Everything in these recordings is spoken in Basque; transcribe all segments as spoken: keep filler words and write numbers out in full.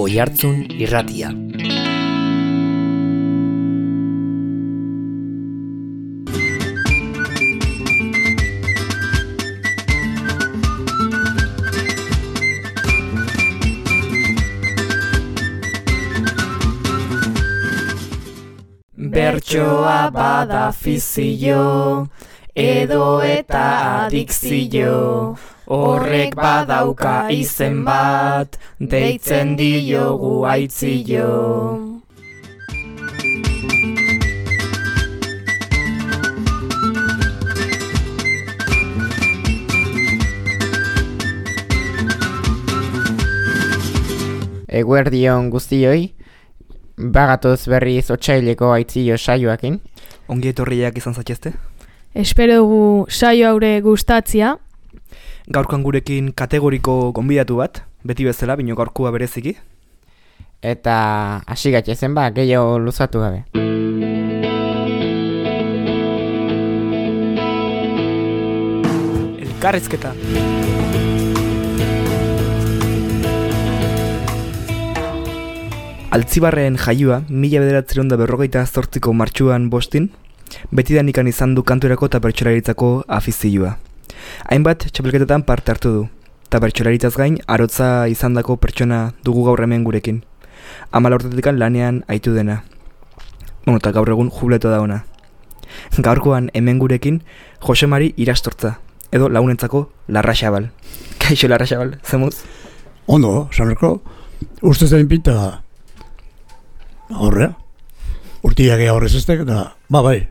Oihartzun Irratia. Bertsoa bada fizio, edo eta adikzio, horrek badauka izen bat, deitzen diogu aitzio. Eguerdion guztioi, bagatoz berriz otsaileko aitzio saioakin. Ongi etorriak izan zatxezte? Espero dugu saio haure gustatzia. Gaurkoan gurekin kategoriko gonbidatu bat, beti bezala, bino gaurkoa bereziki. Eta hasi gatzezen ba, gehiago luzatu gabe. Elkarrizketa. Altzibarren jaioa, mila bederatziehun eta berrogeita zortziko martxuan bostin, betidanikan izan du kanturako eta bertsolaritzako afizioa. Hainbat txapelketetan parte hartu du, eta bertsolaritzaz gain arotza izandako pertsona dugu gaur hemen gurekin. Hamar urtetikan lanean aitu dena. Bueno, eta gaur egun jubleto da ona. Gaurkoan hemen gurekin Jose Mari Irastortza, edo lagunentzako Larraxabal. Kaixo Larraxabal, zemuz? Ondo, sanerko, uste zain pinta horrea, urtiak ega horrez eztek, eta, ba bai,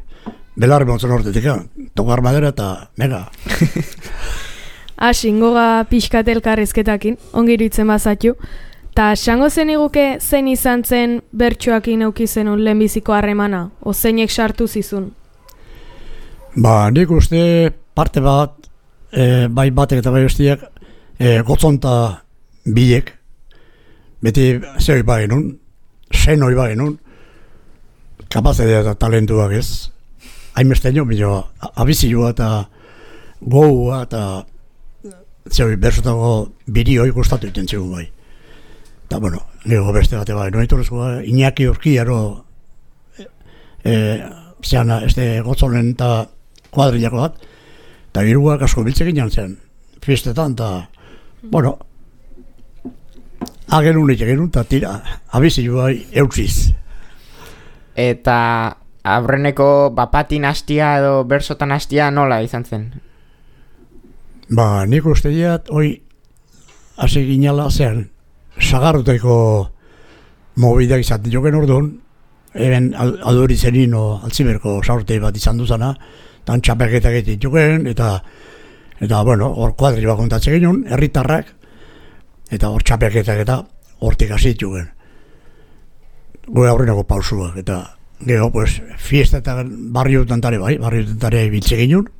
belarri montzen hortetik, tokar madera eta mega. Asin, goga pixkat elkarrizketakin, ongi iruditzen bazatu. Ta xango zen iguke zein izan zen bertsoakin eukizenun lehenbiziko harremana, o zeinek sartu zizun? Ba, nik uste parte bat, e, bai batek eta bai bestiak, e, gotzonta bilek, beti zehoi bai nun, sen hori bai nun, kapazedea eta talentuak ez, hainbesteño, bilo, abizioa eta goua eta zehoi bersotako bideoi gustatu iten zegoen bai. Eta, bueno, nire beste bate bai, noa itorrezkoa, Iñaki Urkiaro, e, zean, este gotzonen eta kuadrilako bat, eta giruak asko biltzek inan zen, fiestetan, eta, bueno, agerun egin genuen, eta tira, abizioa eutziz. Eta aurreneko bapatin hastia edo bersotan hastia nola izan zen? Ba, nik uste diat, hoi, hasi ginala zean, sagarruteko mobidak izaten joken orduan, eben adori zenin o altziberko saurtei bat izan duzana, eta txapeketak egiten joken, eta, eta, bueno, hor kuadri bat kontatzen genuen, herritarrak, eta hor txapeketak eta hortik hasi joken. Goe aurrenako pausuak, eta gero, pues, fiesta eta barrioetan tare bai, barrioetan tare biltze genuen,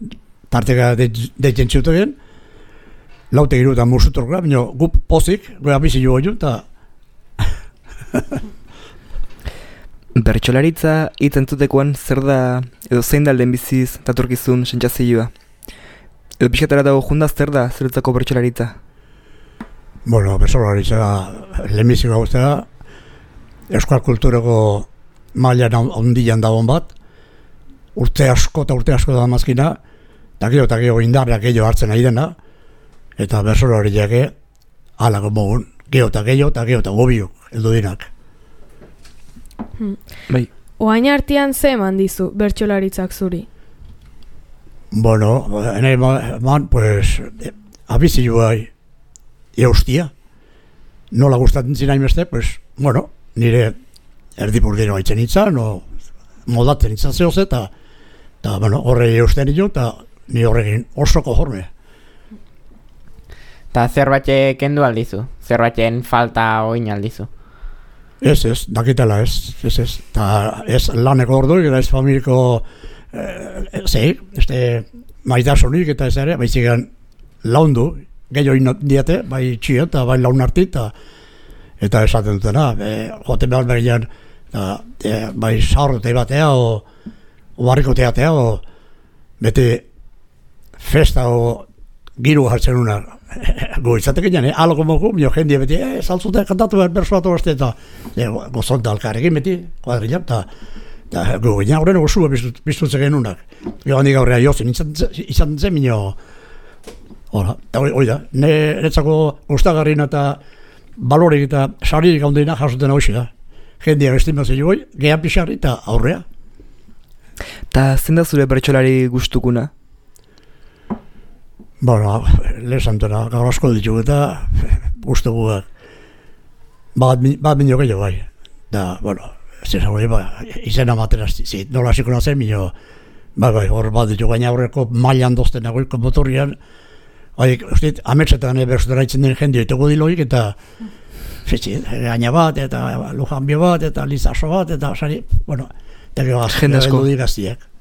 tarteka deitzen ziutegen, laute giruetan musutorkoa, baina gu pozik, goe abizi jo goi eta... Bertsolaritza hitz entzutekoan zer da, edo zein da lehenbiziz datorkizun sentsazioa? Edo pixkatara dago jundaz zer da zeretzako bertsolaritza? Bueno, bertsolaritza lehenbiziko guztera, euskal kulturako mailan handian dagoen bat, urte asko eta urte asko da mazkina, eta gero eta gero indarrak gehiago hartzen nahi dena, eta bertsolaritzak halako mogun, gero eta gero eta gero eta gobiok, eldu dinak. Hmm. Bai. Oain artean ze eman dizu bertsolaritzak zuri? Bueno, ene man, pues, abizioa eustia. Nola gustatzen zinain beste, pues, bueno, nire erdipurdero haitzen itzan, o moldatzen itzan zehoz, eta, eta, bueno, horre eusten ino, eta ni horrekin oso konforme. Eta zerbait kendu aldizu? Zerbaiten falta oin aldizu? Ez, ez, dakitela ez, ez, ez, eta ez laneko orduik, eta ez familiko, eh, zei, este, maitasunik eta ez ere, baizigan laundu, gehiago inot diate, bai txio eta bai laun arti, eta, eta esaten dutena, e, joten behar begian, e, bai saurrote batea, o, o barriko teatea, o beti festa o giro hartzen una goizatek egin, eh? Algo mogu, mio jendia beti, eh, saltzute kantatu behar bersu bat oazte, eta e, gozonta alkarrekin beti, kuadrilla, eta eta gogina horren osua biztutze genunak. Gero handik aurrea jozin, izan zen minio, hola, eta hoi da, netzako gustagarrin eta balorik eta saririk handeina jasuten hau da. Jendia estimazio joi, gehan pixarri eta aurrea. Ta zein da zure bertsolari gustukuna? Bueno, lehesantena, gaur asko ditugu eta gustuguak. Bat, bat minio gehiago bai. Da, bueno, zer hori, ba, izena matera, zit, nola hasiko nazen minio, bai, bai, hor bat ditugu, gaina horreko mailan dozten nagoiko motorrian, bai, uste, ametsetan berzutera itzen den jende ditugu diloik, eta fetxi, gaina bat, eta lujanbio bat, eta lizaso bat, eta sari, bueno, eta gero azkendu digaztiak.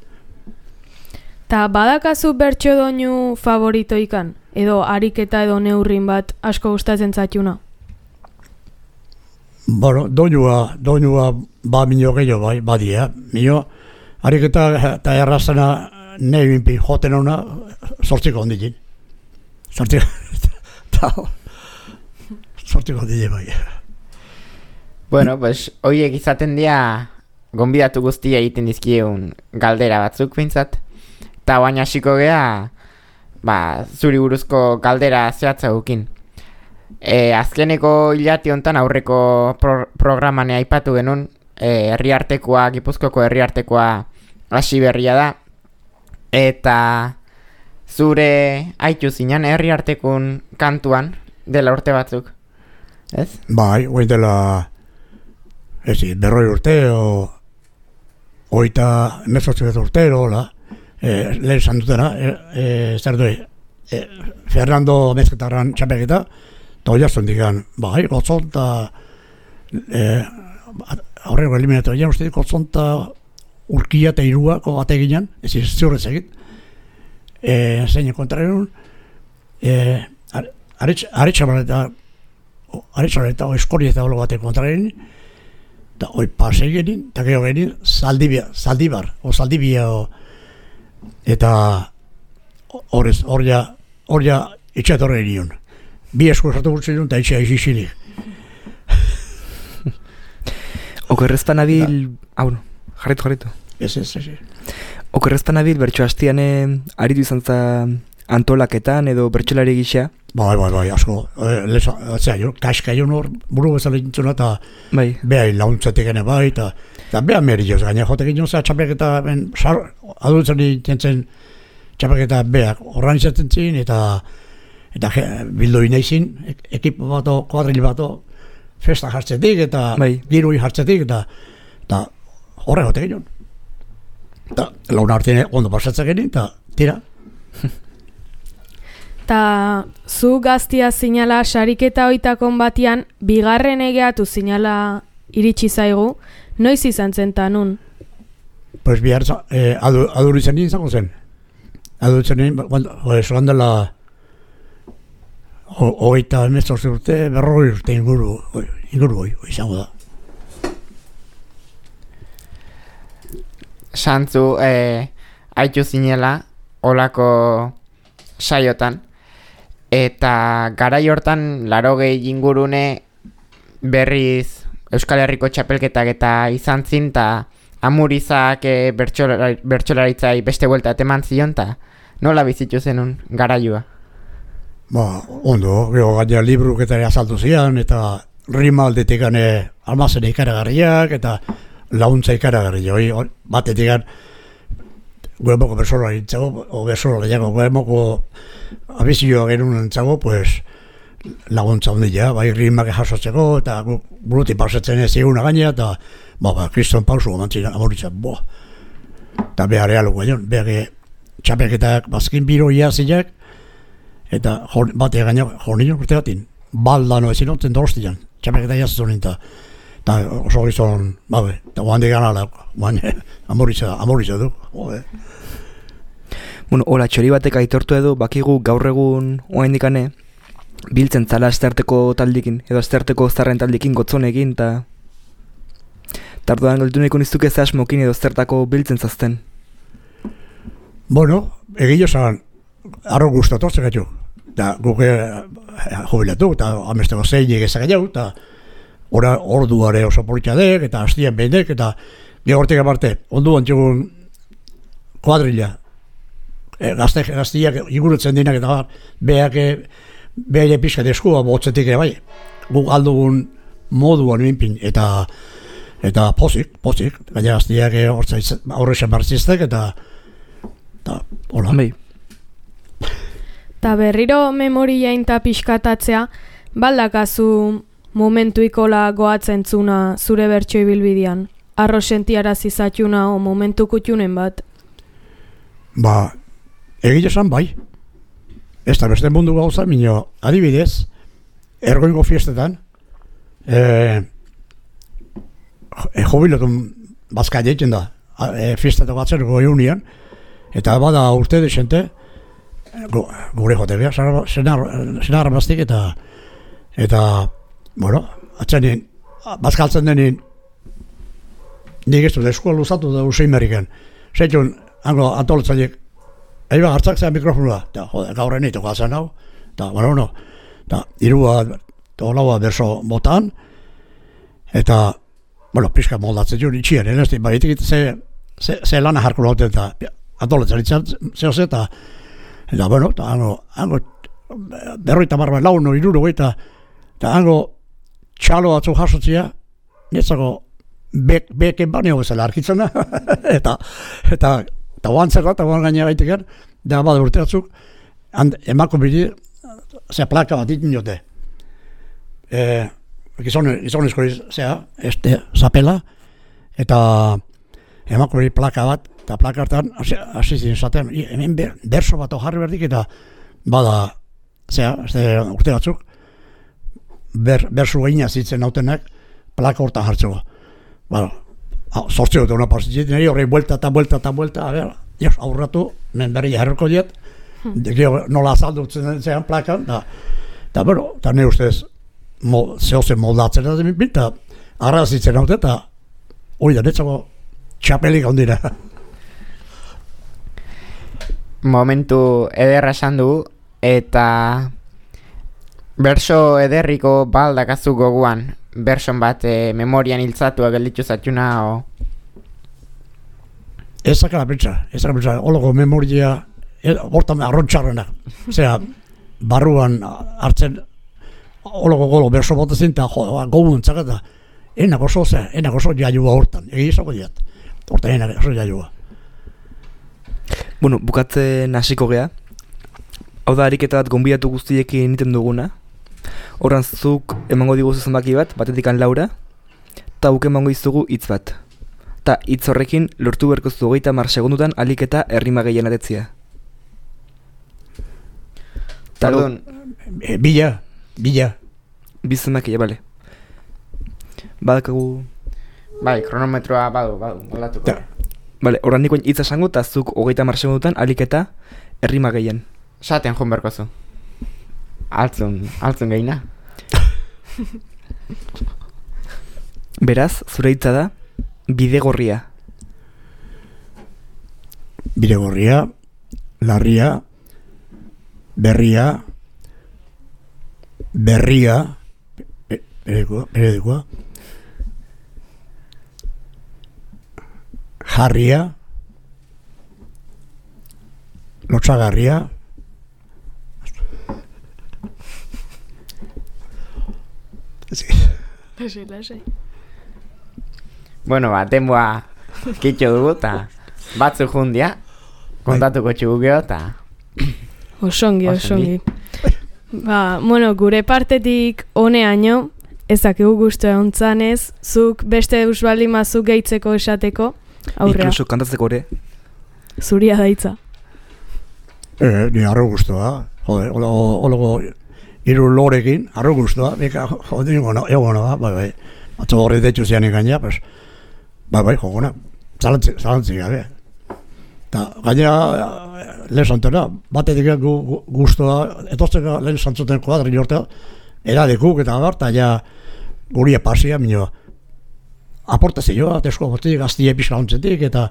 Ta badakazu bertso doinu favoritoikan? Edo ariketa edo neurrin bat asko gustatzen zaituna? Bueno, doinua, doinua ba minio gehiago bai, badia. Minio, ariketa eta errazena nahi binpi joten hona sortziko ondikin. Sortziko, sortziko ondikin bai. Bueno, pues, hoiek izaten dira gonbidatu guztia egiten dizkiegun galdera batzuk bintzat. Eta baina hasiko gea, ba, zuri buruzko galdera zehatza gukin. E, azkeneko hilati hontan aurreko pro, programane aipatu genuen, e, herriartekoa, Gipuzkoako herriartekoa hasi berria da. Eta zure aitu zinan herriartekun kantuan dela urte batzuk, ez? Bai, hoi dela, ez berroi urte, o, oita emezortzi urte, hola. Eh, lehen esan dutena, eh, eh, zer doi, eh, Fernando Mezketarran txapeketa, eta hori azten digan, bai, gotzon eta eh, aurreko eliminatu egin, uste gotzon eta urkia eta iruako bate ginen, ez ez ziurrez egin, eh, zein kontraren, eh, aretxabar eta aretxabar eta eskori eta holo bate kontraren, eta hori pase egin, eta gero egin, zaldibia, zaldibar, o zaldibia, o eta horrez, horria, horria itxatorre nion. Bi esku esatu gurtzen duen, eta itxea izizilik. Okerrezpan abil... Hau, no, jarretu, jarretu. Ez, ez, ez. Okerrezpan abil bertso hastian aritu izan za antolaketan edo bertsolari gisa. Bai, bai, bai, asko. E, leza, zera, jo, kaska jo nor, buru bezala intzuna, eta bai. Beha launtzatik ene bai, eta beha merioz, gaina jotek egin zera txapeketa, adultzen dintzen txapeketa beha horran izaten zin, eta eta bildu inaizin, ekipo bato, kuadril bato, festa jartzetik, eta bai. Girui jartzetik, eta eta horre jotek egin. Eta launa hartien ondo pasatzen egin, eta tira. Ta zu gaztia zinala sariketa oitakon batian, bigarren egeatu zinala iritsi zaigu, noiz izan zen ta nun? Pues bihar, eh, adu, adur izan nien zango zen. Adur izan nien, esan dela hogeita emezortzi urte, berrogei urte inguru, inguru hoi, izango da. Santzu, eh, aitu zinela, olako saiotan, eta garai hortan larogei ingurune berriz Euskal Herriko txapelketak eta izan zin, eta amurizak e, bertsolaritzai beste buelta eman zion, eta nola bizitu zenun garaioa? Ba, ondo, gero gaina libruk eta azaldu zian, eta rima aldetik gane almazen ikaragarriak, eta launtza ikaragarri, batetik gane guemoko bersolari entzago, o bersolari jago, guemoko abizioa genuen entzago, pues, laguntza ondila, bai rimak jasotzeko, eta buruti pasatzen ez eguna gaina, eta, ba, ba, Kriston Pausu gomantzina, amoritzen, boa. Eta behar ealu gaion, behar txapelketak bazkin biro iaziak, eta bate gaina, jornillo urte batin, baldano ezin ontzen dorostian, txapelketak iazitzen eta, eta oso gizon, babe, eta guan digan ala, guan, amoritza, amoritza du, joder. Bueno, hola, txori batek aitortu edo, bakigu gaur egun oain dikane, biltzen zala azterteko taldikin, edo azterteko zarren taldikin gotzonekin, eta tarduan galdu nahiko niztuke zehasmokin edo aztertako biltzen zazten. Bueno, egillo zan, arro gustatortzen gaitu. eta guke jubilatu, eta amesteko zeinik ezak jau, eta ora orduare oso politxadek, eta hastien behinek, eta gehortik aparte, onduan txegun kuadrilla, e, gazte, gaztiak igurutzen dinak, eta behak, behak pixkat eskua botzetik ere bai, guk aldugun moduan minpin, eta eta pozik, pozik, gaina gaztiak horrexan martziztek, eta eta hola. Bai. Ta berriro memoriain ta pixkatatzea, baldakazu momentuikola goatzen zuna zure bertso ibilbidean? Arro sentiarazi zatxuna o momentu kutxunen bat? Ba, egile esan bai. Ez da beste mundu gauza, minio, adibidez, ergoingo fiestetan, e, e, jubilatun bazka egiten da, e, fiestetako atzerko eunian, eta bada urte desente, gu, gure jote beha, senarra baztik, eta, eta, bueno, atzenin, bazkaltzen denin, nik ez dut eskola luzatu da usein meriken. Zeitun, hango antolatzaiek, eba hartzak zean mikrofonua, eta jode, gaur enitu gazan hau, eta, bueno, no, eta irua, eta laua berso botan, eta, bueno, pixka moldatzen jun itxien, enezti, baitik ze, ze, ze lana jarko lauten, eta antolatzen itzan, zehose, eta, eta, bueno, eta hango, hango, berroita barba launo, iruro, eta, eta hango, txalo atzu jasotzia, netzako, Bek, beken baneo bezala arkitzen da, eta, eta, eta oantzeko, eta oan gainera gaitekan, da bada urte batzuk, emako bidi, zea plaka bat ditin jote. E, gizonezko zea, este, zapela, eta emako bidi plaka bat, eta plaka hartan, hasi zin zaten, hemen ber, berso bat jarri berdik, eta bada, zea, este, urte batzuk, ber, bersu gaina zitzen nautenak, plaka hortan hartzeko. Bueno, sortzeo eta una pasitzen, nire horrein buelta eta buelta eta buelta, a ver, jos, aurratu, men berri jarriko diet, hmm. nola azaldutzen zean plakan, eta, eta, bueno, eta nire ustez, mo, zehozen moldatzen da zemin pinta, arrazitzen haute, eta hori da, netzako txapelik handira. Momentu ederra esan du, eta berso ederriko baldakazu goguan, berson bat e, memorian hiltzatua gelditu zatxuna, o? Ezak la pentsa, ezak la pentsa, hologo memoria, hortan arrontxarrenak, zera, barruan hartzen, hologo golo berso botezin, eta jo, gogun txaketa, enak oso, zera, enak oso jaiua hortan, egizako diat, hortan enak oso jaiua. Bueno, bukatzen hasiko gea, hau da ariketa bat gonbidatu guztiekin egiten duguna, horran zuk emango diguzu zenbaki bat, batetikan Laura, eta guk emango izugu hitz bat. Ta hitz horrekin lortu berkoztu hogeita hamar segundutan alik eta errima gehien atetzia. Pardon. E, bila, bila. Biz zenbakia, bale. Badakagu... Bai, kronometroa badu, badu, moldatuko. Bale, horran nikoen hitz esango, eta zuk hogeita hamar segundutan alik eta errima gehien. Saten joan berkozu. Altzun, altzun gehina. Beraz, zure hitza da, bidegorria. Bidegorria, larria, berria, berria, periodikoa, periodikoa, jarria, lotsagarria, sí. Lasai, lasai. Bueno, ba, denboa kitxo dugu, eta batzu jundia, kontatuko txugu geho, eta... Osongi, osongi. Ba, bueno, gure partetik honeaino, ezakigu guztu egontzanez, zuk beste eusbaldi mazuk gehitzeko esateko, aurrea. Inkluso kantatzeko ere. Zuria daitza. Eh, ni arro guztua, jode, hologo iru lorekin, arro guztua, beka, jode, egono, egono da, bai, bai. Atzo horri detxu zian gaina, pues, bai, bai, jogona, zalantzik, zalantzik, gabe. Eta, gainera, lehen santena, batetik gu, gu, guztua, etortzeko lehen santzuten kuadri jortea, eradekuk eta bar, eta ja, guria pasia, minio, aportazioa, tesko botik, gaztie pixka ontzetik, eta,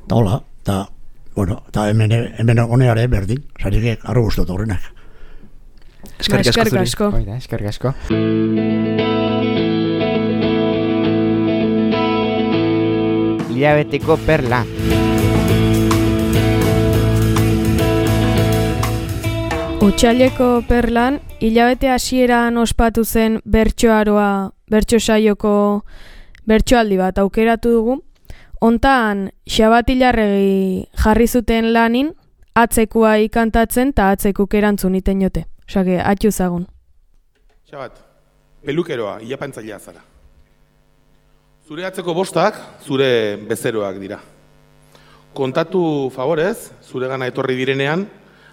eta hola, eta, bueno, eta hemen, hemen honeare berdin, zarik arro guztua horrenak. Eskerrik asko Eskerrik zuri. asko. Oida, eskerrik asko. Hilabeteko perla. Otsaileko perlan, hilabete hasieran ospatu zen bertsoaroa, bertso saioko bertsoaldi bat aukeratu dugu. Hontan, Xabatilarregi jarri zuten lanin, atzekua ikantatzen eta atzekuk erantzun iten jote. Osake, atxu zagun. Xabat, pelukeroa, ilapantzailea zara. Zure atzeko bostak, zure bezeroak dira. Kontatu favorez, zure gana etorri direnean,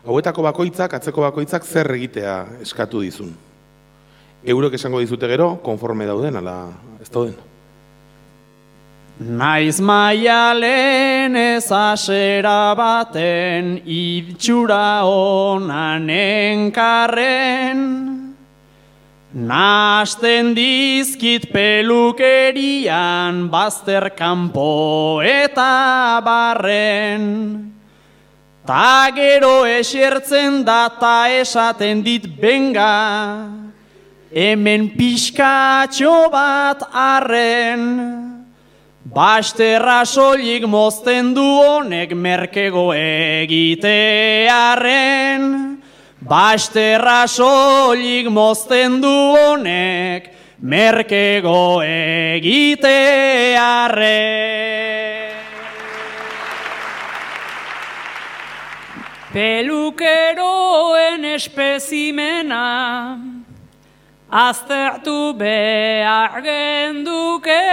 hauetako bakoitzak, atzeko bakoitzak zer egitea eskatu dizun. Eurok esango dizute gero, konforme dauden, ala ez dauden. Naiz maialen ez asera baten itxura onan enkarren, nasten dizkit pelukerian bazter kanpo eta barren, ta gero esertzen da ta esaten dit benga, hemen pixkatxo bat arren. Basterra soilik mozten du honek merkego egitearen. Basterra soilik mozten du honek merkego egitearen. Pelukeroen espezimena aztertu behar genduke.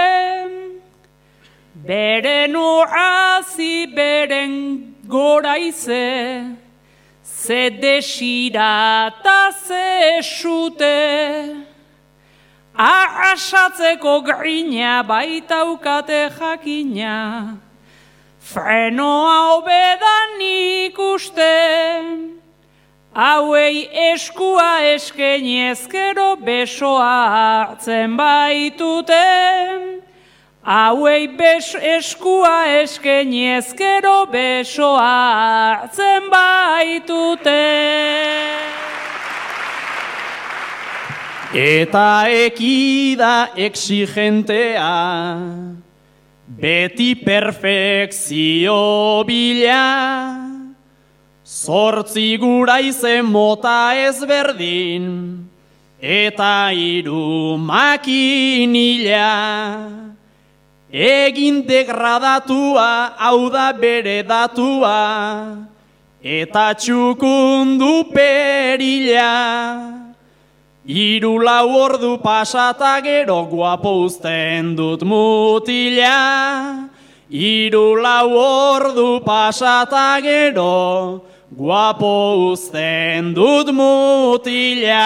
Beren urrazi, beren goraize, ze desira eta ze esute. Arrasatzeko grina baitaukate jakina, frenoa hobedan ikusten. Hauei eskua eskenez gero besoa hartzen baituten. Hauei eskua eskenez gero besoa hartzen baitute. Eta ekida exigentea, beti perfekzio bila, zortzi gura izen mota ezberdin, eta hiru makinila. Egin degradatua, hau da bere datua, eta txukundu perila. Hiru lau ordu pasata gero guapo uzten dut mutila. Hiru lau ordu pasata gero guapo uzten dut mutila.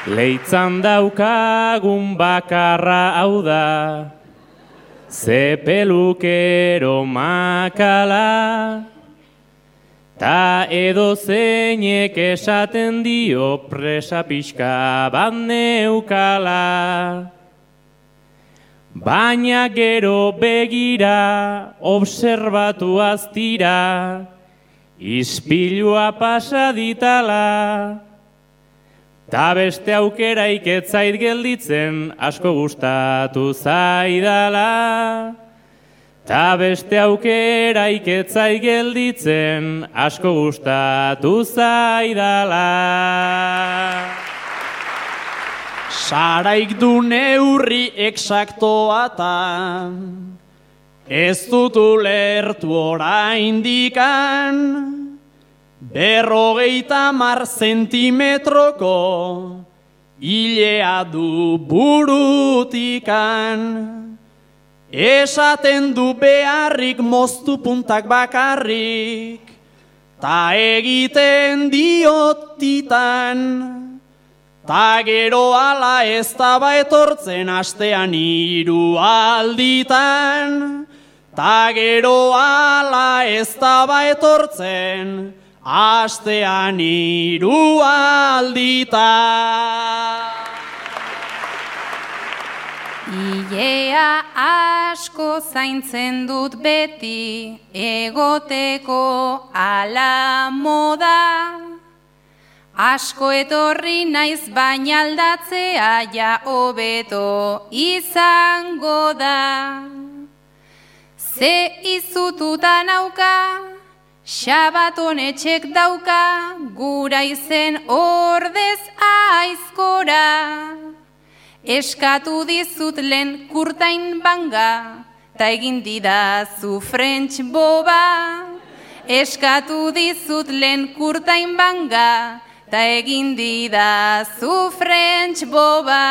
Leitzan daukagun bakarra hau da, ze pelukero makala, ta edo zeinek esaten dio presa pixka bat neukala. Baina gero begira, obserbatu aztira, ispilua pasa ditala. Ta beste aukeraik ez zait gelditzen, asko gustatu zaidala. Ta beste aukeraik ez zait gelditzen, asko gustatu zaidala. Saraik du neurri eksaktoa ta, ez dut ulertu oraindikan. Berrogeita mar zentimetroko hilea du burutikan. Esaten du beharrik moztu puntak bakarrik, ta egiten diotitan. Ta gero ala ez daba etortzen astean hiru alditan. Ta gero ala ez daba etortzen astean hiru alditan. Ilea asko zaintzen dut beti, egoteko ala moda. Asko etorri naiz baina aldatzea ja hobeto izango da. Ze izututa nauka, Xabaton etxek dauka, gura izen ordez aizkora. Eskatu dizut lehen kurtain banga, ta egin didazu French boba. Eskatu dizut lehen kurtain banga, ta egin didazu French boba.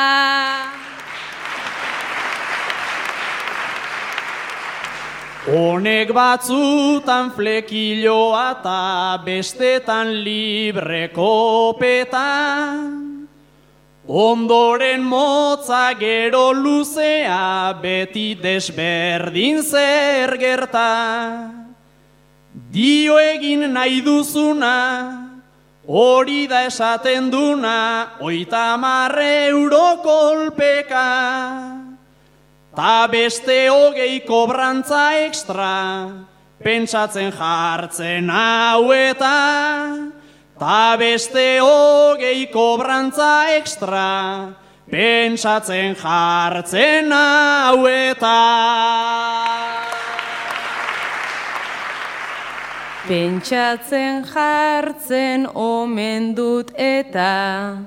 Honek batzutan flekiloa eta bestetan libre kopeta. Ondoren motza gero luzea beti desberdin zer gerta. Dio egin nahi duzuna, hori da esaten duna, oita marre euro kolpeka. Ta beste hogei kobrantza ekstra, pentsatzen jartzen hau eta. Ta beste hogei kobrantza ekstra, pentsatzen jartzen hau eta. Pentsatzen jartzen omen dut eta,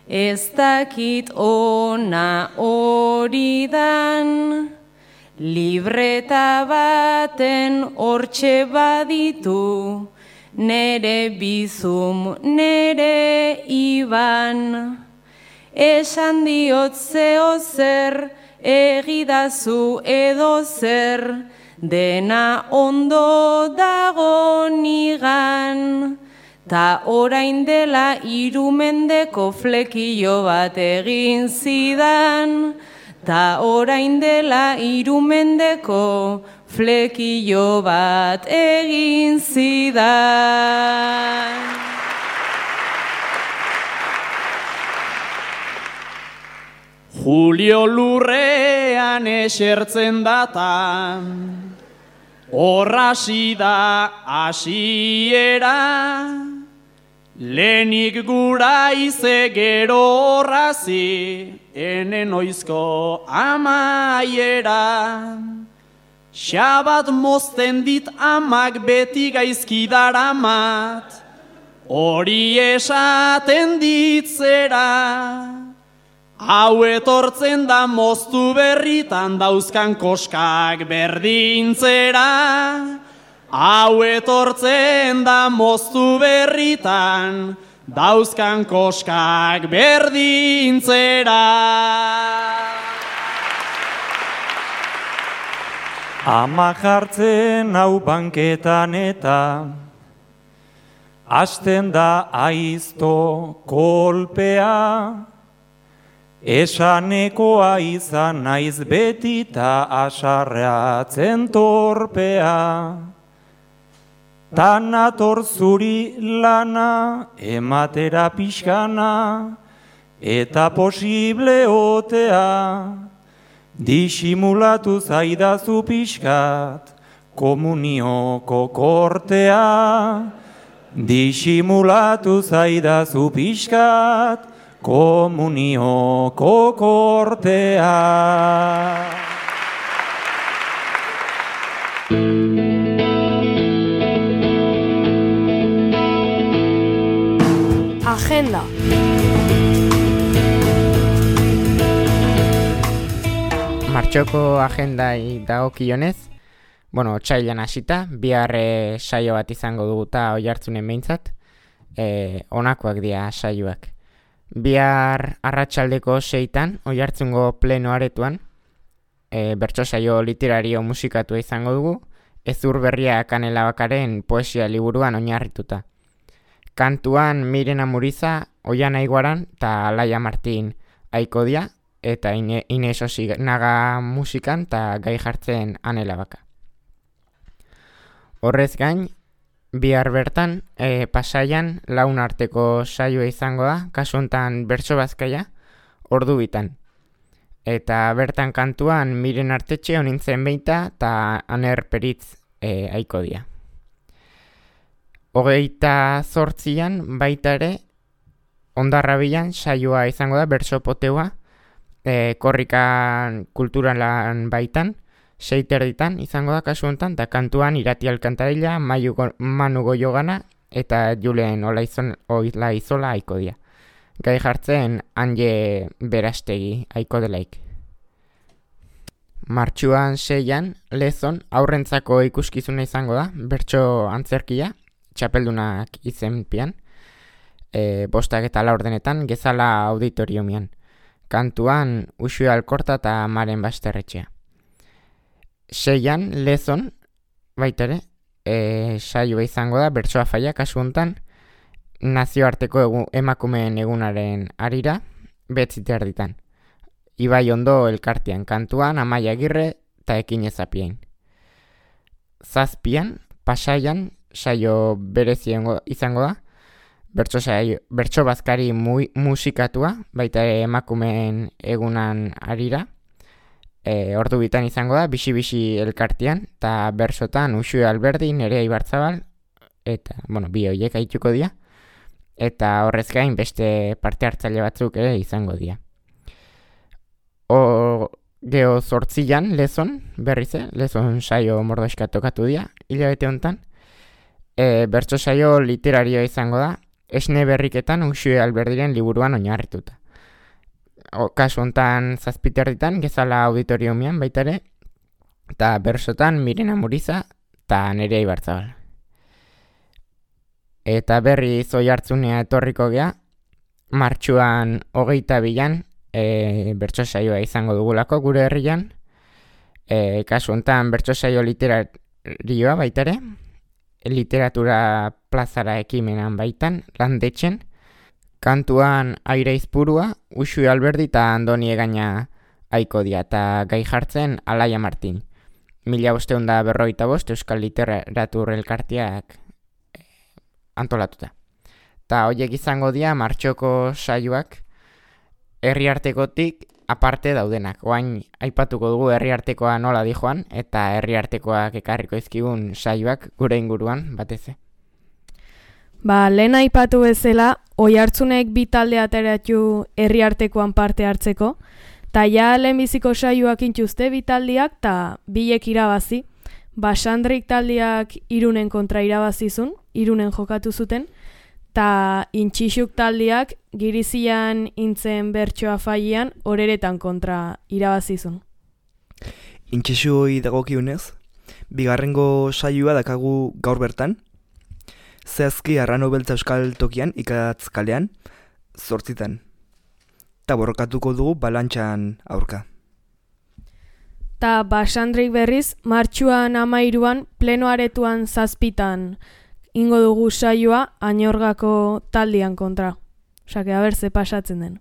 ez dakit ona hori dan. Libreta baten hortxe baditu, nere bizum, nere iban. Esan diot zeo zer, egidazu edo zer, dena ondo dago nigan. Ta orain dela irumendeko flekillo bat egin zidan. Ta orain dela irumendeko flekillo bat egin zidan. Julio lurrean esertzen datan, horrasi da hasiera. Lehenik gura ize gero horrazi, enen oizko amaiera. Xabat mozten dit amak beti gaizki daramat, hori esaten ditzera. Hau etortzen da moztu berritan dauzkan koskak berdintzera. Hau etortzen da moztu berritan dauzkan koskak berdintzera. Ama jartzen hau banketan eta hasten da aizto kolpea. Esanekoa izan naiz beti ta asarreatzen torpea. Tan ator zuri lana, ematera pixkana, eta posible otea. Disimulatu zaidazu pixkat, komunioko kortea. Disimulatu zaidazu pixkat, komunioko kortea. Agenda. Martxoko agendai dagokionez, bueno, otsailean hasita, bihar e, saio bat izango dugu eta oihartzunen behintzat, e, honakoak dira saioak. Bihar arratsaldeko seitan, oihartzungo pleno aretuan, e, bertso saio literario musikatua izango dugu, Ezur berria Kanela Bakaren poesia liburuan oinarrituta. Kantuan Mirena Muriza, Oiana Iguaran eta Alaia Martin Aikodia, eta Ine, Ines Osinaga musikan eta gai jartzen Anela Baka. Horrez gain, bihar bertan, e, Pasaian laun arteko saioa izango da, kasu honetan bertso bazkaia, ordu bitan. Eta bertan kantuan Miren Artetxe honintzen beita eta Aner Peritz e, aiko dia. Hogeita zortzian baita ere Ondarrabilan saioa izango da bertso poteua e, korrikan kulturalan baitan, seiterditan izango da kasu honetan, eta kantuan Irati Alkantarilla, Manu Goiogana eta Julen Olaizola aiko dia. Gai jartzen Anje Berastegi aiko delaik. Martxuan seian Lezon aurrentzako ikuskizuna izango da, bertso antzerkia, txapeldunak izenpian, e, bostak eta laurdenetan Gezala auditoriumian. Kantuan Uxue Alkorta eta Maren Basterretxea. Seian Lezon, baita ere, e, saioa izango da, bertsoa faia kasu honetan, nazioarteko egu, emakumeen egunaren arira, betzite erditan. Ibai Ondo elkartean kantuan, Amaia Agirre eta Ekin Ezapien. Zazpian, Pasaian, saio berezio izango da, bertso, saio, bertso bazkari mu, musikatua, baita emakumeen egunan arira, e, ordu bitan izango da, bisi-bisi elkartean, eta bersotan Uxue Alberdi, Nerea Ibarzabal, eta, bueno, bi horiek aituko dira, eta horrez gain beste parte hartzaile batzuk ere izango dira. O, geho zortzian, Lezon, berriz, Lezon saio mordoxka tokatu dira, hilabete honetan, e, bertso saio literarioa izango da, Esne berriketan Uxue Alberdiren liburuan oinarrituta. O, kasu honetan zazpiterditan, Gezala auditoriumian baita ere, eta bersotan Mirena Muriza eta Nerea Ibarzabal. Eta berri zoi hartzunea etorriko gea, martxuan hogeita bilan, e, bertso saioa izango dugulako gure herrian, e, kasu honetan bertso saio literarioa baita ere, literatura plazara ekimenan baitan, landetxen, kantuan Aire Izpurua, Uxue Alberdi eta Andoni Egaina aiko dia, eta gai jartzen Alaia Martin. Mila bosteun da berroita bost Euskal Literatur Elkarteak antolatuta. Ta horiek izango dira martxoko saioak herriartekotik aparte daudenak. Oain aipatuko dugu herriartekoa nola dijoan eta herriartekoak ekarriko izkigun saioak gure inguruan batez. Ba, lehen aipatu bezala, Oihartzunek bi talde ateratu herriartekoan parte hartzeko, ta ja lehenbiziko saioak intxuzte bi taldeak ta bilek irabazi. Basandrik taldeak Irunen kontra irabazizun, Irunen jokatu zuten, ta intxixuk taldeak Girizian intzen bertsoa faian Oreretan kontra irabazizun. Intxixuoi dagokiunez, bigarrengo saioa dakagu gaur bertan, zehazki Arrano Beltza Euskal Tokian ikatz kalean, zortzitan, ta borrokatuko dugu balantxan aurka. Ta Basandrik berriz, martxuan amairuan, pleno aretuan zazpitan, ingo dugu saioa Añorgako taldean kontra. Osake, haber, ze pasatzen den.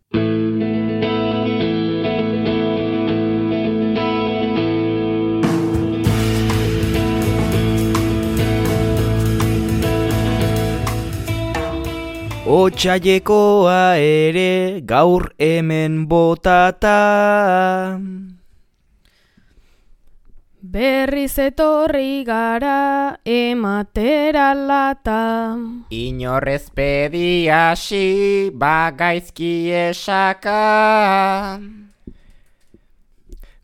Otsailekoa ere gaur hemen botata, berriz etorri gara ematera lata. Inorrez pedi hasi bagaizki esaka,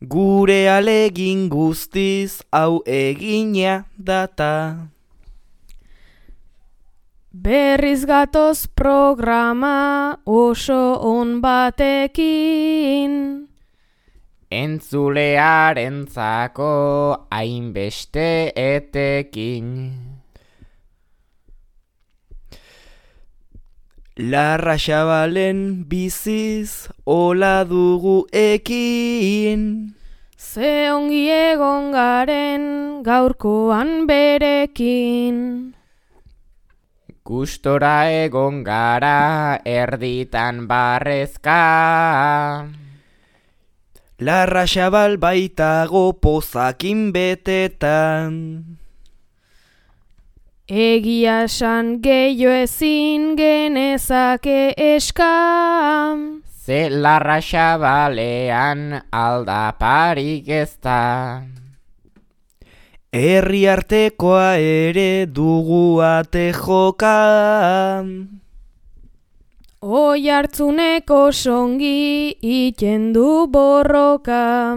gure alegin guztiz hau egina data. Berriz gatoz programa oso on batekin, entzulearentzako hainbeste etekin. Larra Xabalen biziz hola dugu ekin, ze ongi egon garen gaurkoan berekin. Gustora egon gara erditan barrezka, Larra Xabal baitago pozakin betetan. Egia esan gehiago ezin genezake eska, ze larra xabalean aldaparik ez da. Herri artekoa ere dugu ate joka. Oi hartzuneko songi iten du borroka.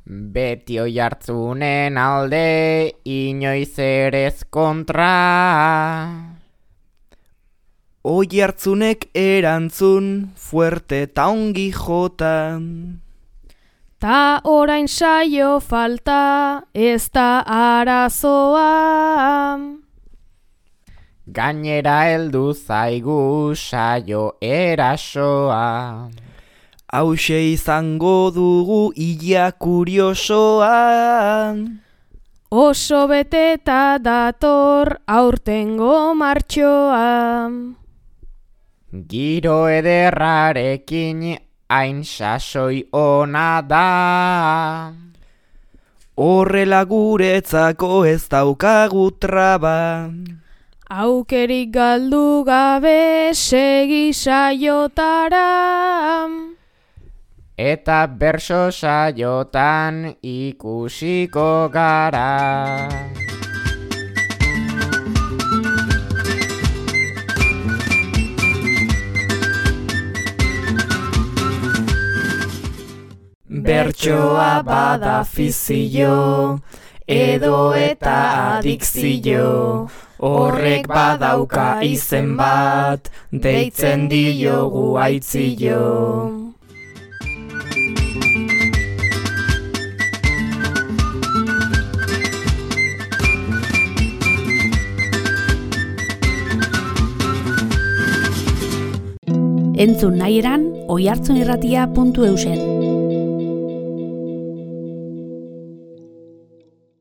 Beti oi hartzunen alde inoiz erez kontra. Oi hartzunek erantzun fuerte ta ongi jota. Ta orain saio falta ez da arazoa. Gainera heldu zaigu saio erasoa. Hauxe izango dugu ia kuriosoa. Oso beteta dator aurtengo martxoa. Giro ederrarekin hain sasoi ona da. Horrela guretzako ez daukagu traba. Aukerik galdu gabe segi saiotara. Eta berso saiotan ikusiko gara. Bertsoa bada fizio, edo eta adikzio, horrek badauka izen bat, deitzen diogu aitzio. Entzun nahi eran, oihartzunirratia puntu eusen.